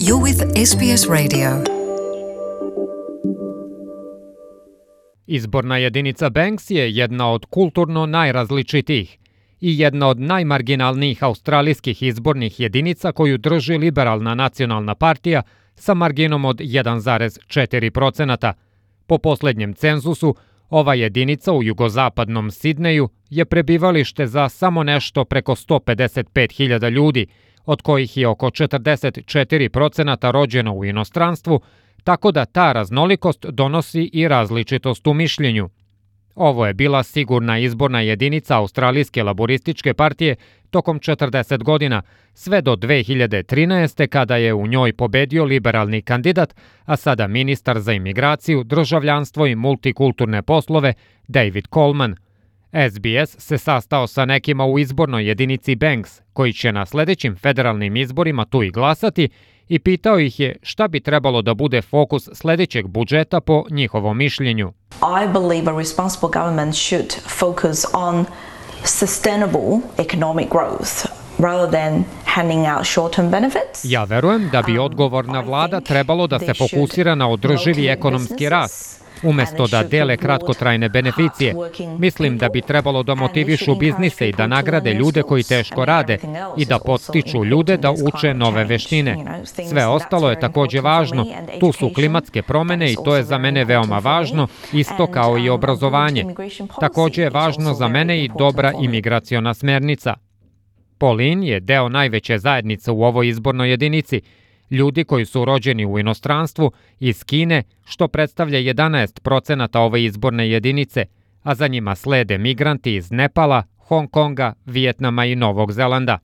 You're with SBS Radio. Izborna jedinica Banks je jedna od kulturno najrazličitijih i jedna od najmarginalnijih australijskih izbornih jedinica koju drži Liberalna nacionalna partija sa marginom od 1,4%. Po posljednjem cenzusu, ova jedinica u jugozapadnom Sidneju je prebivalište za samo nešto preko 155.000 ljudi, od kojih je oko 44% rođeno u inostranstvu, tako da ta raznolikost donosi i različitost u mišljenju. Ovo je bila sigurna izborna jedinica Australijske laborističke partije tokom 40 godina, sve do 2013. kada je u njoj pobedio liberalni kandidat, a sada ministar za imigraciju, državljanstvo i multikulturne poslove David Coleman. SBS se sastao sa nekima u izbornoj jedinici Banks, koji će na sljedećim federalnim izborima tu i glasati, i pitao ih je šta bi trebalo da bude fokus sljedećeg budžeta po njihovom mišljenju. I believe a responsible government should focus on sustainable economic growth rather than handing out short-term benefits. Ja verujem da bi odgovorna vlada trebalo da se fokusira na održivi ekonomski rast, umjesto da dele kratkotrajne beneficije. Mislim da bi trebalo da motivišu biznise i da nagrade ljude koji teško rade i da podstiču ljude da uče nove veštine. Sve ostalo je također važno. Tu su klimatske promjene i to je za mene veoma važno, isto kao i obrazovanje. Također je važno za mene i dobra imigraciona smernica. Pauline je deo najveće zajednice u ovoj izbornoj jedinici, ljudi koji su rođeni u inostranstvu iz Kine, što predstavlja 11% ove izborne jedinice, a za njima slede migranti iz Nepala, Hong Konga, Vijetnama i Novog Zelanda.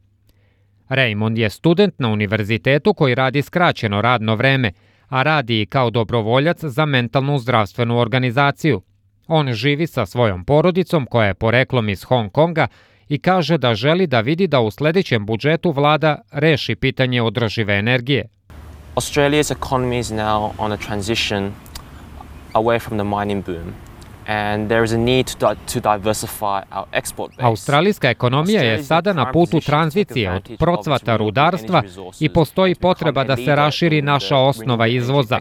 Raymond je student na univerzitetu koji radi skraćeno radno vreme, a radi i kao dobrovoljac za mentalnu zdravstvenu organizaciju. On živi sa svojom porodicom koja je poreklom iz Hong Konga i kaže da želi da vidi da u sljedećem budžetu vlada reši pitanje održive energije. Australia's economy is now on a transition away from the mining boom, and there is a need to diversify our export base. Australijska ekonomija je sada na putu tranzicije od procvata rudarstva i postoji potreba da se raširi naša osnova izvoza.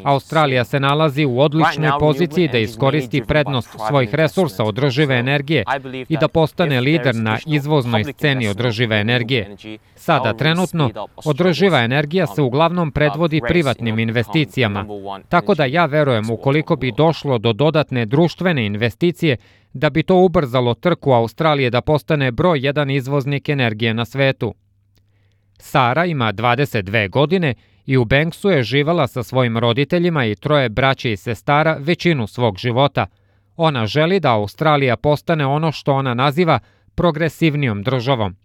Australija se nalazi u odličnoj poziciji da iskoristi prednost svojih resursa održive energije i da postane lider na izvoznoj sceni održive energije. Sada trenutno održiva energija se uglavnom predvodi privatnim investicijama, tako da ja verujem ukoliko bi došlo do dodatne društvene investicije, da bi to ubrzalo trku Australije da postane broj 1 izvoznik energije na svetu. Sara ima 22 godine i u Banksu je živjela sa svojim roditeljima i 3 braće i sestara većinu svog života. Ona želi da Australija postane ono što ona naziva progresivnijom državom.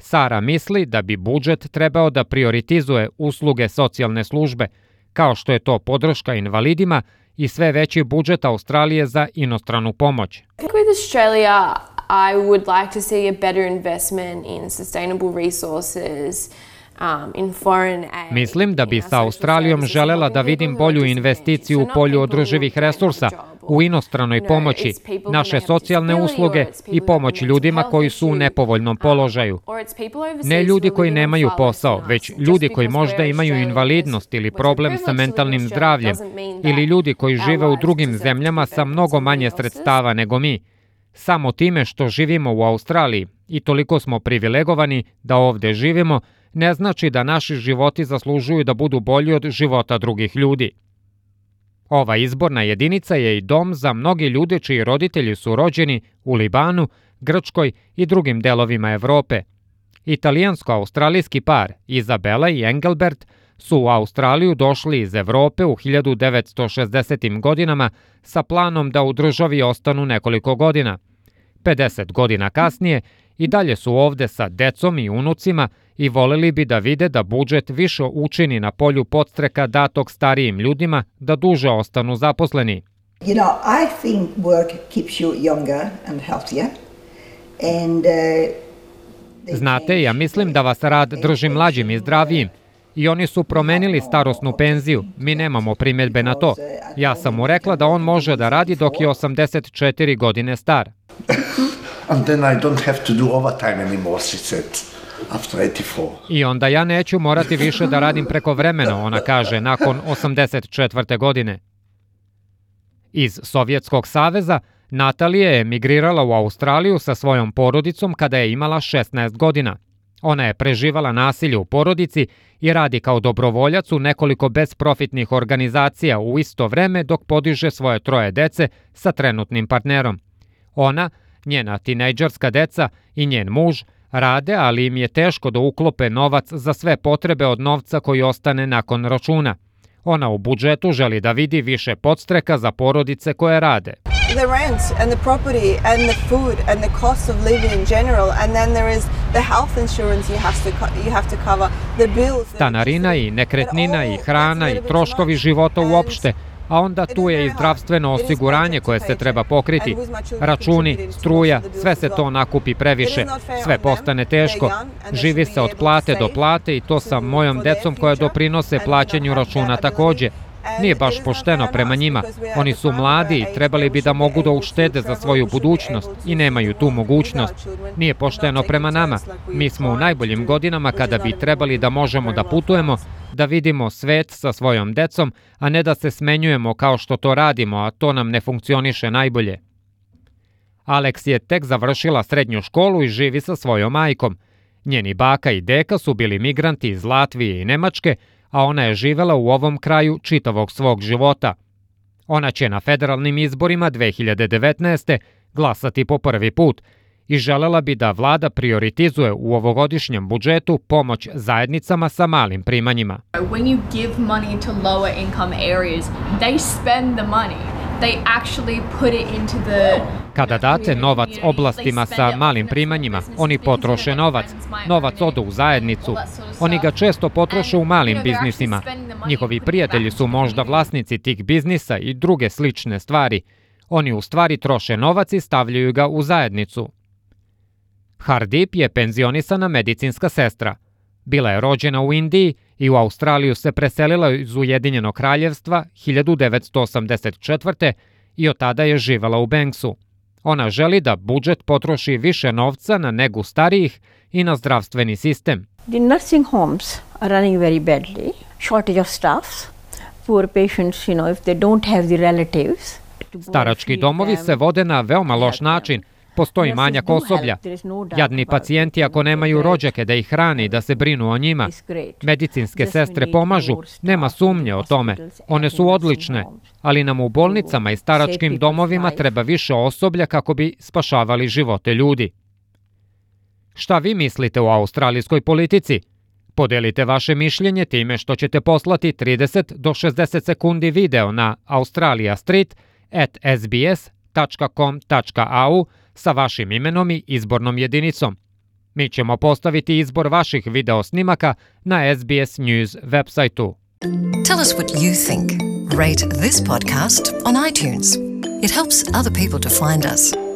Sara misli da bi budžet trebao da prioritizuje usluge socijalne službe, kao što je to podrška invalidima i sve veći budžet Australije za inostranu pomoć. With Australia, I would like to see a better investment in sustainable resources, in foreign aid. Mislim da bi sa Australijom želela da vidim bolju investiciju u polju održivih resursa, u inostranoj pomoći, naše socijalne usluge i pomoć ljudima koji su u nepovoljnom položaju. Ne ljudi koji nemaju posao, već ljudi koji možda imaju invalidnost ili problem sa mentalnim zdravljem, ili ljudi koji žive u drugim zemljama sa mnogo manje sredstava nego mi. Samo time što živimo u Australiji i toliko smo privilegovani da ovdje živimo, ne znači da naši životi zaslužuju da budu bolji od života drugih ljudi. Ova izborna jedinica je i dom za mnogi ljude čiji roditelji su rođeni u Libanu, Grčkoj i drugim delovima Evrope. Italijansko-australijski par Izabela i Engelbert su u Australiju došli iz Evrope u 1960. godinama sa planom da u državi ostanu nekoliko godina. 50 godina kasnije i dalje su ovdje sa decom i unucima i voleli bi da vide da budžet više učini na polju podstreka datog starijim ljudima da duže ostanu zaposleni. You know, I think work keeps you younger and healthier. And Znate, ja mislim da vas rad drži mlađim i zdravijim. I oni su promenili starosnu penziju. Mi nemamo primjedbe na to. Ja sam mu rekla da on može da radi dok je 84 godine star. And then I don't have to do overtime anymore, she said. after 84. I onda ja neću morati više da radim prekovremeno, ona kaže, nakon 84. godine. Iz Sovjetskog saveza Natalija je emigrirala u Australiju sa svojom porodicom kada je imala 16 godina. Ona je preživala nasilje u porodici i radi kao dobrovoljac u nekoliko bezprofitnih organizacija u isto vreme dok podiže svoje 3 dece sa trenutnim partnerom. Ona, njena tinejdžerska deca i njen muž rade, ali im je teško da uklope novac za sve potrebe od novca koji ostane nakon računa. Ona u budžetu želi da vidi više podstreka za porodice koje rade. The rent and the property and the food and the cost of living in general, and then there is the health insurance you have to cover, the bills. Stanarina i nekretnina i hrana i troškovi života uopšte, a onda tu je i zdravstveno osiguranje koje se treba pokriti. Računi, struja, sve se to nakupi previše, sve postane teško. Živi se od plate do plate i to sa mojom decom koja doprinose plaćanju računa takođe. Nije baš pošteno prema njima. Oni su mladi i trebali bi da mogu da uštede za svoju budućnost i nemaju tu mogućnost. Nije pošteno prema nama. Mi smo u najboljim godinama kada bi trebali da možemo da putujemo, da vidimo svet sa svojom decom, a ne da se smenjujemo kao što to radimo, a to nam ne funkcioniše najbolje. Alex je tek završila srednju školu i živi sa svojom majkom. Njeni baka i deka su bili migranti iz Latvije i Nemačke, a ona je živela u ovom kraju čitavog svog života. Ona će na federalnim izborima 2019. glasati po prvi put i želela bi da vlada prioritizuje u ovogodišnjem budžetu pomoć zajednicama sa malim primanjima. When you give money to lower income areas, they spend the money. They actually put it into the... Kada date novac oblastima sa malim primanjima, oni potroše novac. Novac ode u zajednicu. Oni ga često potroše u malim biznisima. Njihovi prijatelji su možda vlasnici tih biznisa i druge slične stvari. Oni u stvari troše novac i stavljaju ga u zajednicu. Hardip je penzionisana medicinska sestra. Bila je rođena u Indiji i u Australiju se preselila iz Ujedinjenog kraljevstva 1984. i od tada je živala u Banksu. Ona želi da budžet potroši više novca na negu starijih i na zdravstveni sistem. The nursing homes are running very badly. Shortage of staff. Poor patients, if they don't have the relatives. Starački domovi se vode na veoma loš način. Postoji manjak osoblja. Jadni pacijenti ako nemaju rođake da ih hrane i da se brinu o njima. Medicinske sestre pomažu, nema sumnje o tome. One su odlične, ali nam u bolnicama i staračkim domovima treba više osoblja kako bi spašavali živote ljudi. Šta vi mislite o australijskoj politici? Podelite vaše mišljenje time što ćete poslati 30 do 60 sekundi video na australiastreet@sbs.com.au sa vašim imenom i izbornom jedinicom. Mi ćemo postaviti izbor vaših video snimaka na SBS News websajtu. Tell us what you think. Rate this podcast on iTunes. It helps other people to find us.